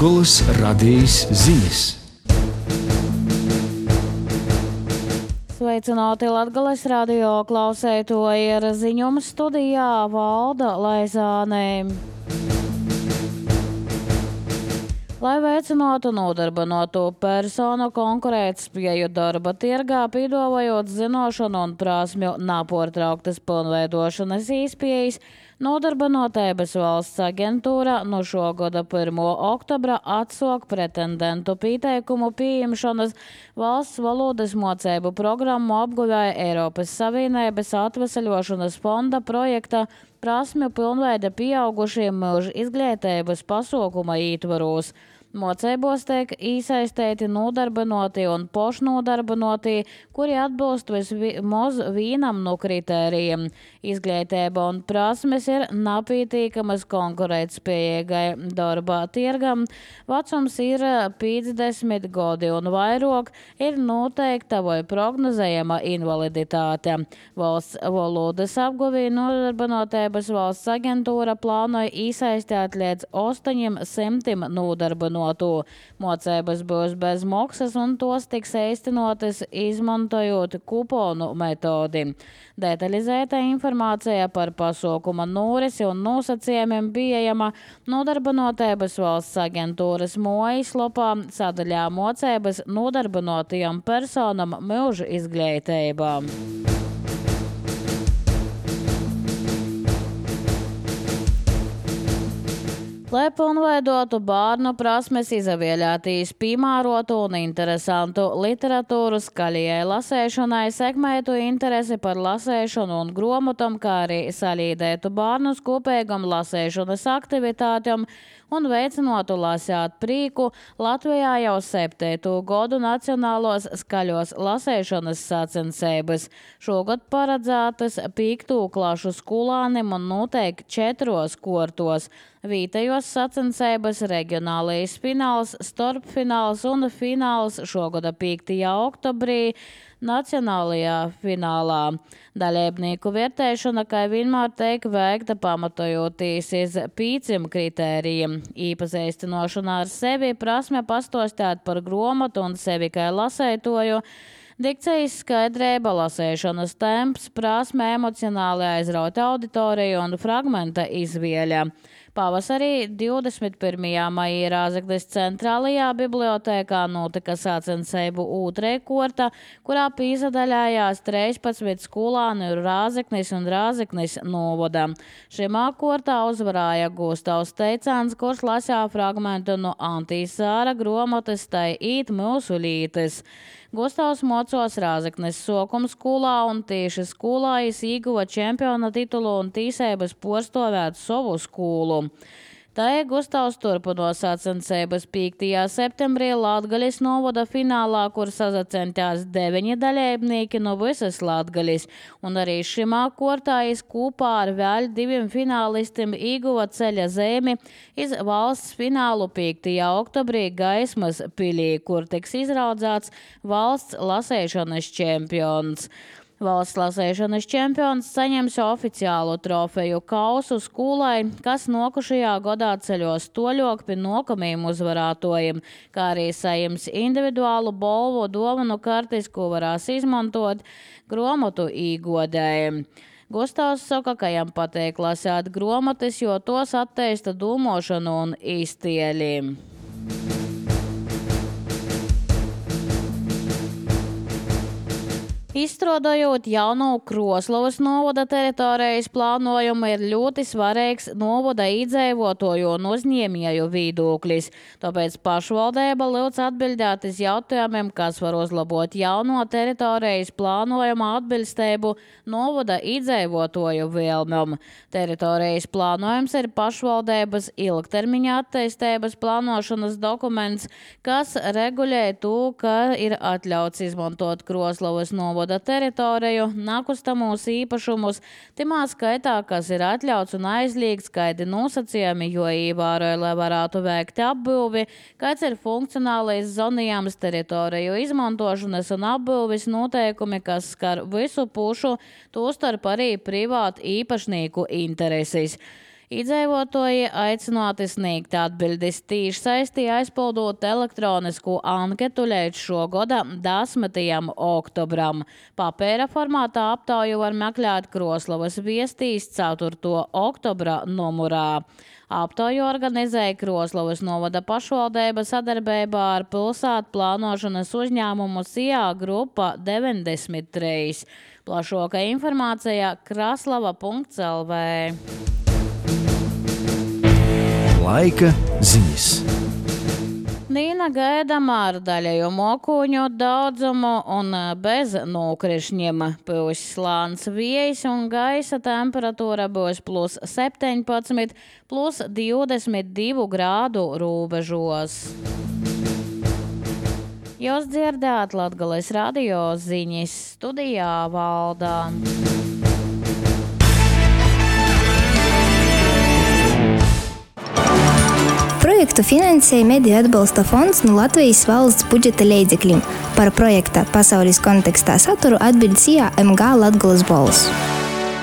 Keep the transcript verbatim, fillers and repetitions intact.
Latgoles radijas ziņas. Sveicināti Latgoles radio klausētoji, ziņuma studijā Valda Laizāne. Lai veicinātu nodarbināto personu konkurētspēju darba tirgā, piedāvājot zināšanu un prasmju nepārtrauktas pilnveidošanas iespējas, Nodarbinātības valsts aģentūra no šogada pirmā oktobra atsāk pretendentu pieteikumu pieņemšanas valsts valodas mocību programmu apguvēja Eiropas Savienības atvesaļošanas fonda projekta prasmju pilnveida pieaugušiem mūža izglītības pasākuma ietvaros. Mocībos tiek iesaistīti nodarbināti un pašnodarbināti, kuri atbilst vismaz vienam no kritērijiem. Izglītība un prasmes ir nepietiekamas konkurētspējīgai darba tirgam. Vecums ir piecdesmit gadi un vairāk, ir noteikta vai prognozējama invaliditāte. Valsts valodas apguvī Nodarbinātības valsts aģentūra plānoja iesaistīt līdz astoņiem simtiem nodarbinātu. Mocības būs bez maksas un tos tiks īstenotas izmantojot kuponu metodi. Detalizēta informācija par pasākuma norisi un nosacījumiem pieejama Nodarbinātības valsts aģentūras mājaslapā sadaļā mocības nodarbinātajām personām mūža izglītībā. Lai pilnveidotu bērnu prasmes, izvēlētīs piemērotu un interesantu literatūru skaļajai lasēšanai, sekmētu interesi par lasēšanu un grāmatām, kā arī salīdētu bērnus kopīgam lasēšanas aktivitātēm un veicinātu lasīt prīku, Latvijā jau septīto gadu nacionālos skaļos lasēšanas sacensības. Šogad paredzētas piekto klašu skolānim un noteikti četros kortos. Vītajos sacensības reģionālais fināls, starpfināls un fināls šogada piektajā oktobrī nacionālajā finālā. Dalībnieku vērtēšana, kā vienmēr tiek veikta pamatojoties uz pieciem kritērijiem. Īpazīstināšana ar sevi, prasme pastostāt par grāmatu un sevi kā lasētoju, dikcijas skaidrība, lasēšanas temps, prasme emocionāli aizraut auditoriju un fragmenta izvēle. Pavasarī divdesmit pirmajā maijā Rāzaknis centrālajā bibliotēkā notika sacensību otrā korta, kurā piedalījās trīspadsmit skolāni Rāzaknis un Rāzaknis novada. Šimā kortā uzvarēja Gustavs Teicāns, kurš lasīja fragmentu no Antīs Sāra grāmatas Tai īt mūsu lītes. Gustavs mocos Rāzaknis sokuma skolā un tieši skolā viņš ieguva čempiona titulu un tīsības porstovēt savu skolu. Tā Gustavs turpino sacensības piektajā septembrī Latgalis novada finālā, kur sazacentās deviņi dalībnieki no visas Latgalis, un arī šimā kortā viņš kopā ar vēl diviem finālistiem ieguva ceļa zīmi iz valsts finālu piektajā oktobrī Gaismas pilī, kur tiks izraudzēts valsts lasēšanas čempions. Valsts lasēšanas čempions saņems oficiālu trofeju kausu skolai, kas nokušajā gadā ceļos toļok pie nākamajiem uzvarētojiem, kā arī saņems individuālu balvu dāvanu kartis, ko varēs izmantot grāmatu īgodējiem. Gustavs saka, ka jam patīk lasīt grāmatas, jo tos attīsta domāšanu un iztēli. Izstrādājot jaunu Kroslavas novada teritorijas plānojumu, ir ļoti svarīgs novada iedzīvotāju un uzņēmēju viedoklis. Tāpēc pašvaldība lūdz atbildēt uz jautājumiem, kas var uzlabot jauno teritorijas plānojumu atbilstību novada iedzīvotāju vēlmēm. Teritorijas plānojums ir pašvaldības ilgtermiņa attīstības plānošanas dokuments, kas regulē to, ka ir atļauts izmantot Kroslavas novada teritoriju, nakustamos īpašumus, timā skaitā, kas ir atļauts un aizliegts, skaidri nosacījumi, jo ievēroja, lai varētu veikt apbūvi, kāds ir funkcionālais zonījums teritoriju izmantošanas un apbūvis noteikumi, kas skar visu pušu, tostarp arī privātu īpašnieku intereses. Iedzīvotāji aicināti sniegt atbildes tīšsaistī aizpildot elektronisku anketu līdz šogada desmitajam oktobram. Papēra formātā aptauju var meklēt Kroslavas viestīs ceturto oktobra numurā. Aptauju organizēja Kroslavas novada pašvaldība sadarbībā ar pilsētu plānošanas uzņēmumu S I A grupa deviņdesmit trīs. Plašāka informācija kraslava punkts L V. Laika ziņas. Nīna gaidama ar daļējumu okuņu daudzumu un bez nokrišņiem. Pūs slāns viejs un gaisa temperatūra būs plus septiņpadsmit, plus divdesmit divi grādu robežos. Jūs dzirdējāt Latgales radio ziņas, studijā Valdā. Projektu finansēja Mediju atbalsta fonds no Latvijas valsts budžeta līdzekļiem. Par projekta pasaules kontekstā saturu atbild S I A M G Latgales balss.